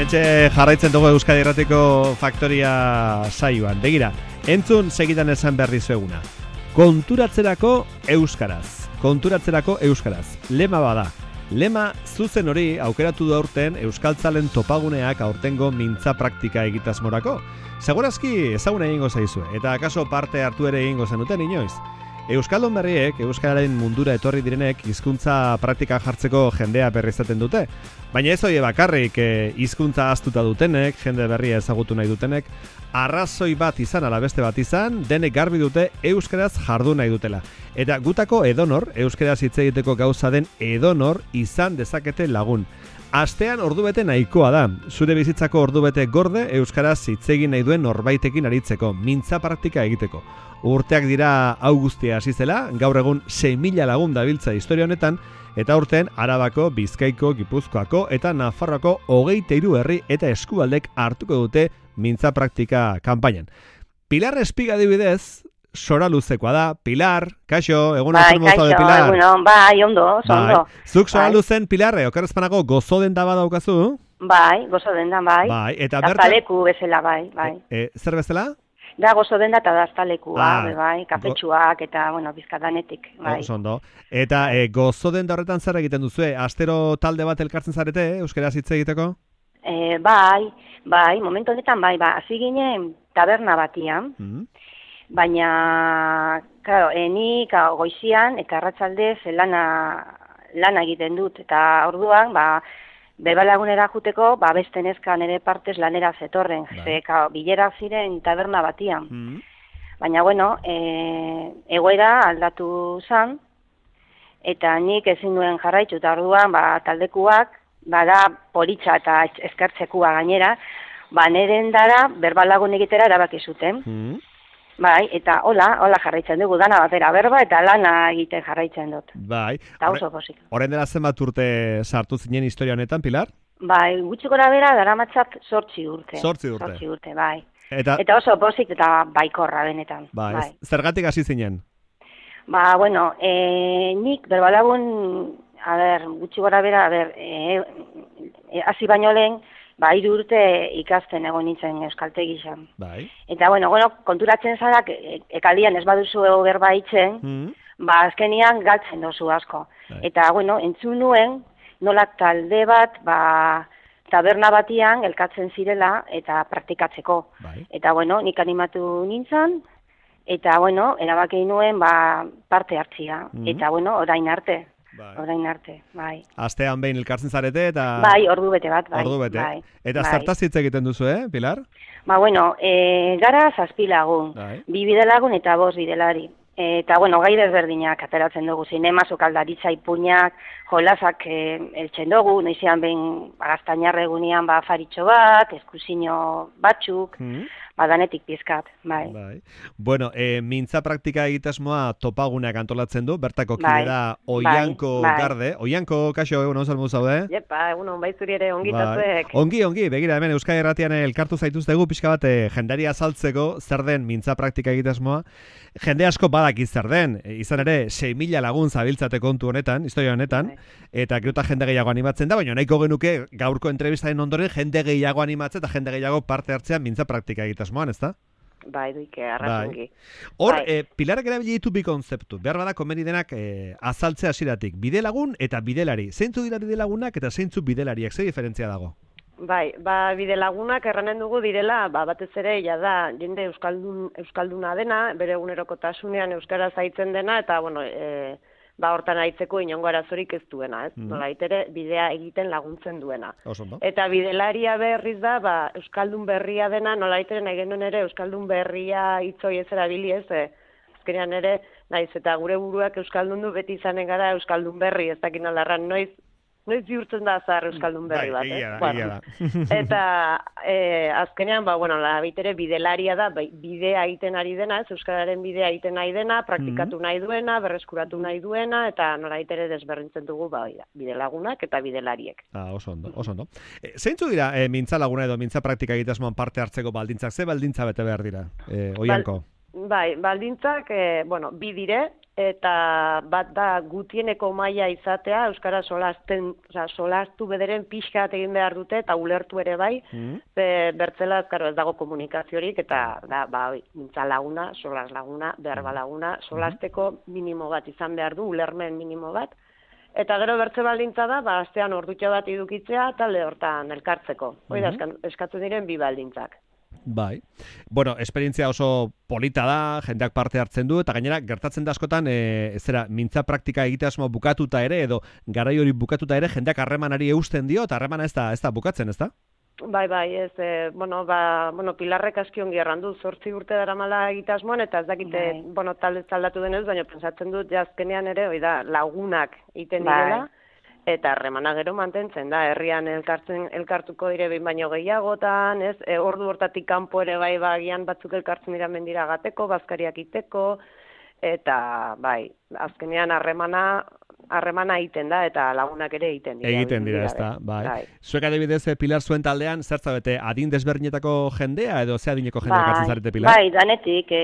Hementxe jarraitzen dugu Euskadi Irratiko Faktoria saioan. Begira, entzun segidan esan behar dizueguna. Konturatzerako euskaraz. Konturatzerako euskaraz. Lema bada. Lema zuzen hori aukeratu du aurten Euskaltzalen topaguneak aurtengo mintza praktika egitasmorako. Segurazki ezaguna egingo zaizue, eta akaso parte hartu ere egingo zenuten inoiz. Euskaldun berriek, euskararen mundura etorri direnek, hizkuntza praktika jartzeko jendea berrizaten dute. Baina ez hori bakarrik hizkuntza ahaztuta dutenek, jende berria ezagutu nahi dutenek, arrazoi bat izan ala beste bat izan, denek garbi dute euskaraz jardu nahi dutela. Eta gutako edonor, euskaraz hitz egiteko gauza den edonor izan dezakete lagun. Astean ordubete nahikoa da. Zure bizitzako ordubete gorde euskaraz hitz egin nahi duen norbaitekin aritzeko, mintza praktika egiteko. Urteak dira hau guztia hasi zela, gaur egun 6.000 lagun dabiltza historia honetan, eta urten Arabako, Bizkaiko, Gipuzkoako eta Nafarroako 23 herri eta eskualdek hartuko dute mintza praktika kanpainan. Pilar Espiga adibidez, sora luzekoa da. Pilar, kaixo, egun bai, kaixo, de Pilar. Egunon, bai, ondo, ondo. Zuk sora luzen, Pilar, okerrezpanako gozo denda badaukazu? Bai, gozo denda, bai. Bai, eta daztaleku bezala, bai. Zer bezala? Da gozo denda eta daztalekua, bai, kafetxuak eta, bueno, bizkadanetik, bai. Ondo. Eta gozo denda horretan zer egiten duzue? Astero talde bat elkartzen zarete, euskaraz hitz egiteko? Bai, momentu honetan, bai, hasi ginen taberna batian, baina, claro, nik goizian eta arratsaldez lana egiten dut, eta orduan, bebalagunera juteko, beste neska nire partez lanera zetorren, bilerak ziren taberna batian. Baina, bueno, egoera aldatu zan, eta nik ezin duen jarraitu, eta orduan, taldekuak, da politxa eta eskertzekua gainera, neren dara, berbalagun egitera erabaki zuten. Bai, eta hola jarraitzen dugu, dana batera berba eta lana egiten jarraitzen dut. Bai. Eta oso posik. Horren dela zenbat urte sartu zinen historia honetan, Pilar? Bai, gutxi gora bera daramatzat 8 urte. 8 urte. 8 urte, bai. Eta oso posik eta baikorra benetan. Bai. Zergatik hasi zinen? Bueno, nik berbalagun, gutxi gora bera, hasi baino lehen, 3 urte ikasten egon nintzen euskaltegizan. Bai. Eta, bueno, konturatzen zarak, ekaldian ez baduzu berba itzen, azkenian galtzen dozu asko. Bai. Eta, bueno, entzun nuen, nola talde bat, taberna batian elkatzen zirela eta praktikatzeko. Bai. Eta, bueno, nik animatu nintzen, eta, bueno, erabaki nuen, parte hartzia. Eta, bueno, orain arte. Bai. Astean behin elkartzen zarete eta... Bai, ordu bete bat, bai. Ordu bete. Eta zertaz hitz egiten duzu, Pilar? Bueno, gara 7 lagun, 2 bidelagun eta 5 bidelari. Eta, bueno, gai desberdinak ateratzen dugu, zinema, sukaldaritza, ipuinak, jolasak eltzen dugu, noizean behin gaztainarre egunean afaritxo bat, eskusino batzuk, danetik pizkat, bai. Bueno, mintza praktika egitasmoa topaguneak antolatzen du, bertako kidera Oianko Garde. Oianko, kaixo, egun hon salmu zaude? Jepa, egun hon, bai zuri ere ongitatuek. Ongi, begira, hemen Euskadi Irratian elkartu zaituztegu, pixka bat jendari azaltzeko zer den mintza praktika egitasmoa. Jende asko badaki zer den, izan ere 6.000 lagun zabiltzate kontu honetan, historia honetan, eta geruta jende gehiago animatzen da, baina nahiko genuke gaurko entrevistaren ondoren jende gehiago animatzen eta jende gehiago parte hartzean mintza praktika egitasmoan, ez da? Bai, duike, arrazungi. Hor, Pilarek erabili ditu bi konzeptu, behar bada komeni denak azaltzea hasieratik, bidelagun eta bidelari. Zeintzu dira bidelagunak eta zeintzu bidelariak, ze diferentzia dago? Bai, bidelagunak erranen dugu direla, batez ere, da, jende euskalduna dena, bere egunerokotasunean euskaraz aitzen dena, eta, bueno, hortan aitzeko inongo arazorik ez duena, ez? Nolait ere, bidea egiten laguntzen duena. Eta bidelaria berriz da, euskaldun berria dena, nolait ere, nahi genuen ere, euskaldun berria hitzoi ez erabili ez, azkenean ere, naiz, eta gure buruak euskaldun du beti izanen gara euskaldun berri, ez dakin alarran, noiz bihurtzen da azar euskaldun berri bat, Eta azkenean, bitere bidelaria da, bidea egiten ari dena, ez euskararen bidea egiten nahi dena, praktikatu nahi duena, berreskuratu nahi duena, eta nolait ere desberdintzen dugu bidelagunak eta bidelariek. Oso ondo. Zeintzu dira mintza laguna edo mintza praktika egitasmoan parte hartzeko baldintzak, ze baldintza bete behar dira, Oianko? Bai, baldintzak, bi dire, eta bat da gutieneko maila izatea, euskara solastu bederen pixkat egin behar dute, eta ulertu ere bai, bertzela ez dago komunikaziorik, eta mintza laguna, solas laguna, berba laguna, solasteko minimo bat izan behar du, ulermen minimo bat, eta gero bertze baldintza da, astean ordutxo bat idukitzea, talde hortan elkartzeko. Hoi da, eskatzen diren bi baldintzak. Bai. Bueno, esperientzia oso polita da, jendeak parte hartzen du, eta gainera, gertatzen da askotan, mintza praktika egitea asmo bukatuta ere, edo garai hori bukatuta ere, jendeak harremanari eusten dio, eta harremana ez da bukatzen, ez da? Bai, ez, Pilarrek aski ongi errandu, 8 urte daramala egitasmoan, eta ez dakite, talde aldatu denez, baina pensatzen dut, azkenean ere, lagunak egiten direla, eta harremana gero mantentzen da, herrian elkartuko dire behin baino gehiagotan, ez, ordu hortatik kanpo ere bai bagian batzuk elkartzen dira mendira gateko, bazkariak iteko, eta bai, azkenean harremana egiten da, eta lagunak ere egiten dira. Egiten dira, ez da, bai. Zuek adibidez, Pilar zuen taldean, zertzabete, adin desberdinetako jendea, edo ze adineko jendea kartzen zarete, Pilar? Bai, danetik,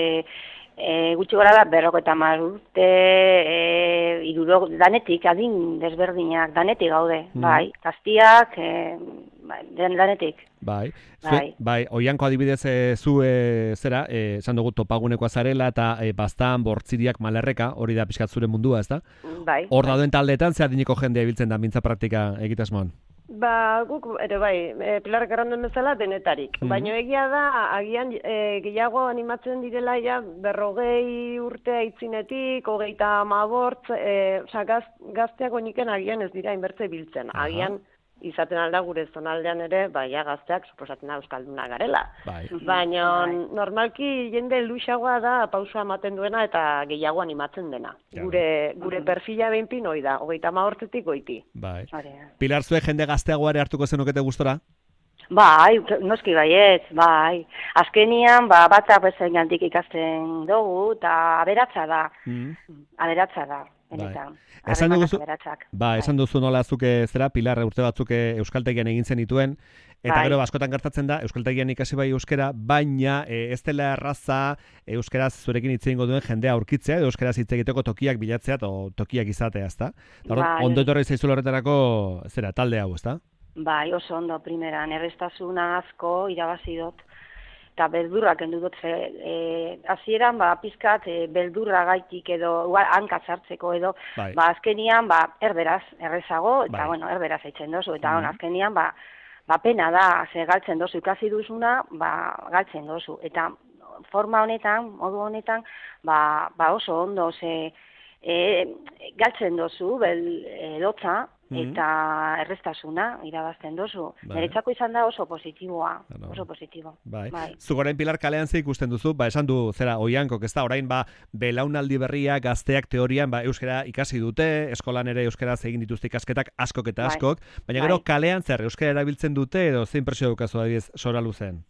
gutxi gora da, 50 urte, danetik, adin desberdinak, danetik gaude, bai, gaztiak, danetik. Bai, oianko adibidez zu esan dugu topagunekoa zarela eta Baztan, Bortziriak, Malerreka, hori da pixkat zure mundua, ez da? Bai. Hor dauden taldeetan, ze adineko jendea ibiltzen da mintza praktika egitasmoan? Guk ere bai, Pilarrek erranduen bezala denetarik. Baina egia da, agian gehiago animatzen direla ja 40 urte aitzinetik, 35, gazteak oiniken agian ez dira inbertze biltzen. Agian izaten alda gure zonaldean ere, gazteak suposatzen da euskalduna garela. Baina normalki jende luxagoa da pausua ematen duena eta gehiago animatzen dena. Gure perfila behinpin hoi da, 35 goiti. Pilar, zuek jende gazteagoa ere hartuko zenukete gustora? Bai, noski baiet, bai. Azkenian, batzak bezain gandik ikasten dugu, eta aberatza da. Benetan. Esan duzu nola zuke zera, Pilar urte batzuk euskaltegian egin zen dituen, eta gero askotan gertatzen da, euskaltegian ikasi bai euskera, baina ez dela erraza euskaraz zurekin hitz egingo duen jendea aurkitzea, edo euskaraz hitz egiteko tokiak bilatzea, o tokiak izatea, ezta? Ondo etorri zaizula horretarako, zera, talde hau, ezta? Bai, oso ondo, primeran, errestasuna asko irabazi dut. Eta beldurrak kendu dut, hasieran pizkat beldurra gaitik edo hanka sartzeko edo, azkenian erderaz, errezago, eta erderaz eitzen dozu, eta azkenian pena da, galtzen dozu, ikasi duzuna, galtzen dozu, eta forma honetan, modu honetan, oso ondo, galtzen dozu, lotza, eta errestasuna irabazten dozu. Niretzako izan da oso positiboa, oso positibo. Zugorain Pilar kalean ze ikusten duzu, esan du zera oiankok, ez da, orain belaunaldi berria gazteak teorian euskara ikasi dute, eskolan ere euskaraz egin dituzte ikasketak askok eta askok, baina gero kalean zer euskara erabiltzen dute edo zein presio dukazu adibidez Sora Luzen?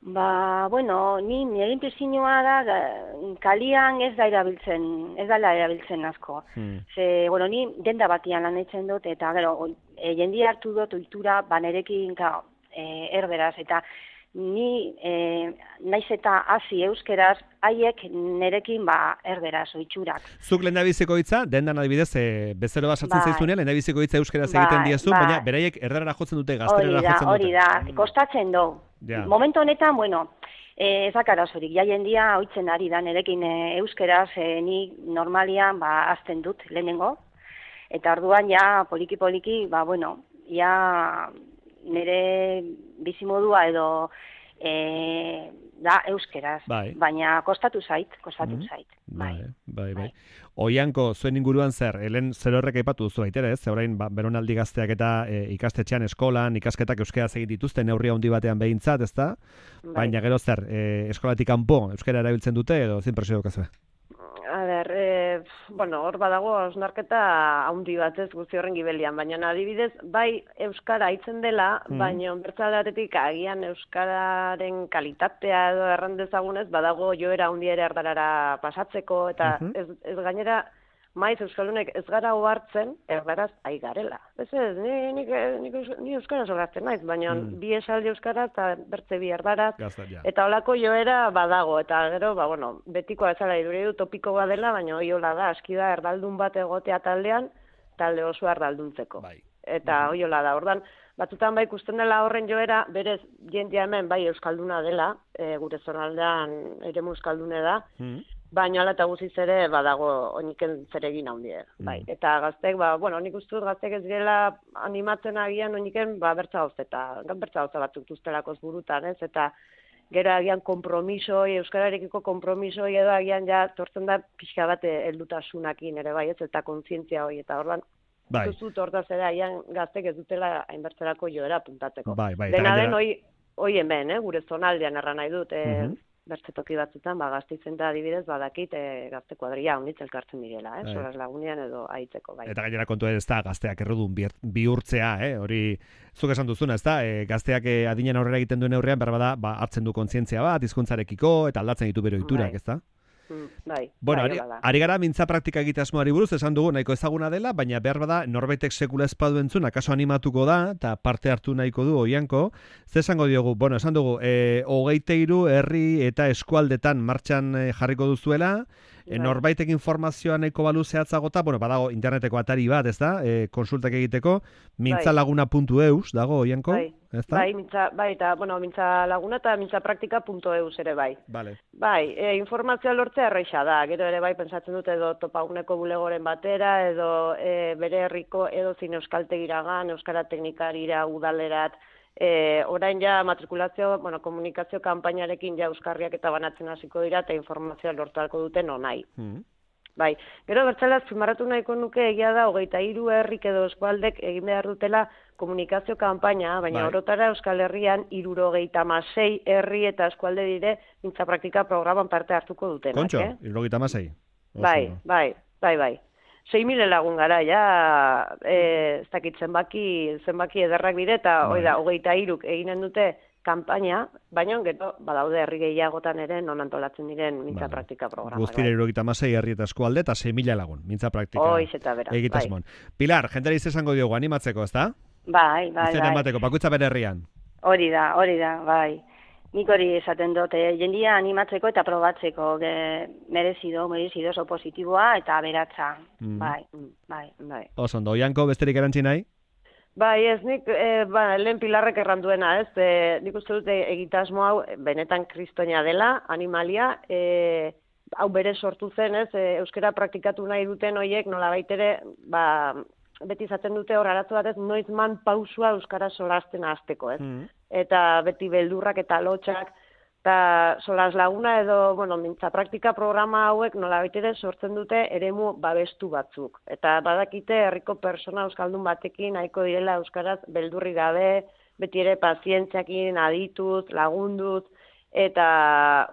Nire impresioa da, kalian ez dela erabiltzen asko. Ni denda batian lan eitzen dut, eta gero, jendia hartu dut ohitura, nerekin erderaz, eta ni naiz eta hasi euskeraz, haiek nerekin erderaz, ohiturak. Zuk lehendabiziko hitza, dendan adibidez, bezero basatzen zaizunean, lehendabiziko hitza euskeraz egiten diezu, baina beraiek erderara jotzen dute, gazterara jotzen dute. Hori da, kostatzen du. Momentu honetan, ez dakarazorik, jendia ohitzen ari da nerekin euskeraz, ni normalian azten dut lehenengo, eta orduan poliki-poliki, nire bizimodua edo da euskeraz, baina kostatu zait. Bai. Oianko, zuen inguruan zer, helen zer horrek aipatu duzu baitere, ez? Orain beronaldi gazteak eta ikastetxean eskolan, ikasketak euskeraz egin dituzte neurri handi batean behintzat, ezta? Baina gero zer, eskolatik kanpo euskara erabiltzen dute edo zein presio dukazu? Hor badago osnarketa handi bat ez guzti horren gibelian, baina adibidez, bai euskara hitzen dela, baina bertzaldatetik agian euskararen kalitatea edo errandezagunez, badago joera handi ere erdarara pasatzeko, eta ez gainera maiz euskaldunek ez gara ohartzen erdaraz ai garela. Ez, ni euskaraz ohartzen naiz, baina bi esaldi euskaraz eta bertze bi erdaraz, eta holako joera badago, eta gero, betikoa ezala iduri du topiko badela, baina hoiola da, aski da erdaldun bat egotea taldean, talde oso erdalduntzeko. Eta hoiola da, ordan, batzutan bai ikusten dela horren joera, berez jendia hemen bai euskalduna dela, gure zonaldean eremu euskaldune da, baina ala eta guziz ere badago oiniken zeregin handie. Eta gaztek, nik uste dut gaztek ez gela animatzen agian oiniken bertza gauza batzuk duztelakoz burutan, ez? Eta gero agian kompromisoi, euskararekiko kompromisoi edo agian ja tortzen da pixka bat heldutasunakin ere bai, ez? Eta kontzientzia hori, eta ordan zuzut hortaz ere agian gaztek ez dutela hainbertzerako joera puntatzeko. Dena den hoi hemen, gure zonaldean erran nahi dut, bertze toki batzutan, Gasteizen da adibidez, badakit gazte kuadria honitz elkartzen direla, solas lagunean edo aitzeko, bai. Eta gainera kontua ez da, gazteak errudun bihurtzea, hori zuk esan duzuna, ez da, gazteak adinen aurrera egiten duen aurrean, berbada, hartzen du kontzientzia bat, hizkuntzarekiko, eta aldatzen ditu bere ohiturak, ez da? Bueno, ari gara mintza praktika egitasmoari buruz, esan dugu nahiko ezaguna dela, baina behar bada norbaitek sekula espadu entzun, akaso animatuko da, eta parte hartu nahiko du Oianko. Ze esango diogu, esan dugu, 23 herri eta eskualdetan martxan jarriko duzuela, norbaitek informazioa nahiko balu zehatzagota, badago interneteko atari bat, ez da, konsultak egiteko, mintzalaguna.eus dago Oianko, ez da? Eta mintzalaguna eta mintzapraktika.eus ere bai. Informazioa lortzea erreixa da, gero ere bai pentsatzen dute edo topaguneko bulegoren batera, edo bere herriko edo zin euskaltegiragan, euskara teknikarira, udalerat, orain ja matrikulazio, komunikazio kanpainarekin ja euskarriak eta banatzen hasiko dira eta informazioa lortuko duten onai. Gero bertzela azpimarratu nahiko nuke egia da 23 herrik edo eskualdek egin behar dutela komunikazio kanpaina, baina orotara Euskal Herrian 76 herri eta eskualde dire mintza praktika programan parte hartuko dutenak. Kontxo, 76? Bai. 6.000 lagun gara, ez dakit zenbaki ederrak bide, eta 23 eginen dute kanpaina, baina gero badaude herri gehiagotan ere non antolatzen diren mintza praktika programa. Guztira 76 herri eta eskualde eta 6.000 lagun mintza praktika egitasmoan. Pilar, jendari esango diogu animatzeko, ez da? Bai. Izen emateko, bakoitza bere herrian. Hori da, bai. Nik hori esaten dut, jendia animatzeko eta probatzeko, merezido, oso positiboa eta aberatza. Bai. Oso ondo, Oianko besterik erantzi nahi? Bai, ez nik, lehen Pilarrek erranduena, ez, nik uste dute egitasmo hau benetan kristoina dela, animalia, hau bere sortu zen, ez, euskara praktikatu nahi duten horiek nola baitere, beti izaten dute hor arazo batez, noizman pausua euskara solasten hasteko, ez? Eta beti beldurrak eta lotxak, eta solas laguna edo, mintza praktika programa hauek nola baitere sortzen dute eremu babestu batzuk. Eta badakite herriko persona euskaldun batekin nahiko direla euskaraz beldurri gabe, beti ere pazientziakin adituz, lagunduz, eta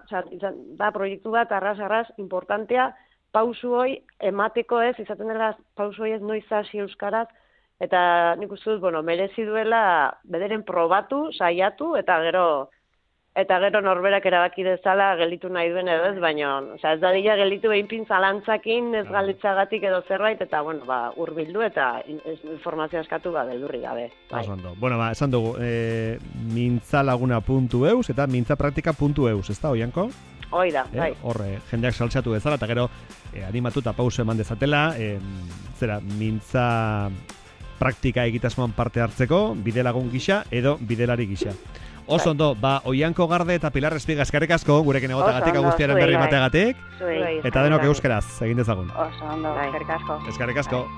da proiektu bat arras importantea, pausu hoi emateko ez, izaten dela pausu hoi ez noiz hasi euskaraz, eta nik uste dut, merezi duela bederen probatu, saiatu, eta gero norberak erabaki dezala gelditu nahi duen edo ez, baina ez dadila gelditu behinpin zalantzakin, ez galditzagatik edo zerbait, eta hurbildu eta informazioa eskatu beldurri gabe. Esan dugu, mintzalaguna.eus eta mintzapraktika.eus, ez da, Oianko? Hoi da, bai. Horre, jendeak saltsatu bezala, eta gero animatu eta pauso eman dezatela, mintza praktika egitasmoan parte hartzeko, bidelagun gisa edo bidelari gisa. Oso ondo, Oianko Garde eta Pilar Espiga eskerrik asko, gurekin egotagatik, guztiaren berri mateagatik, eta denok euskaraz, egin dezagun. Oso ondo, eskerrik asko. Eskerrik asko.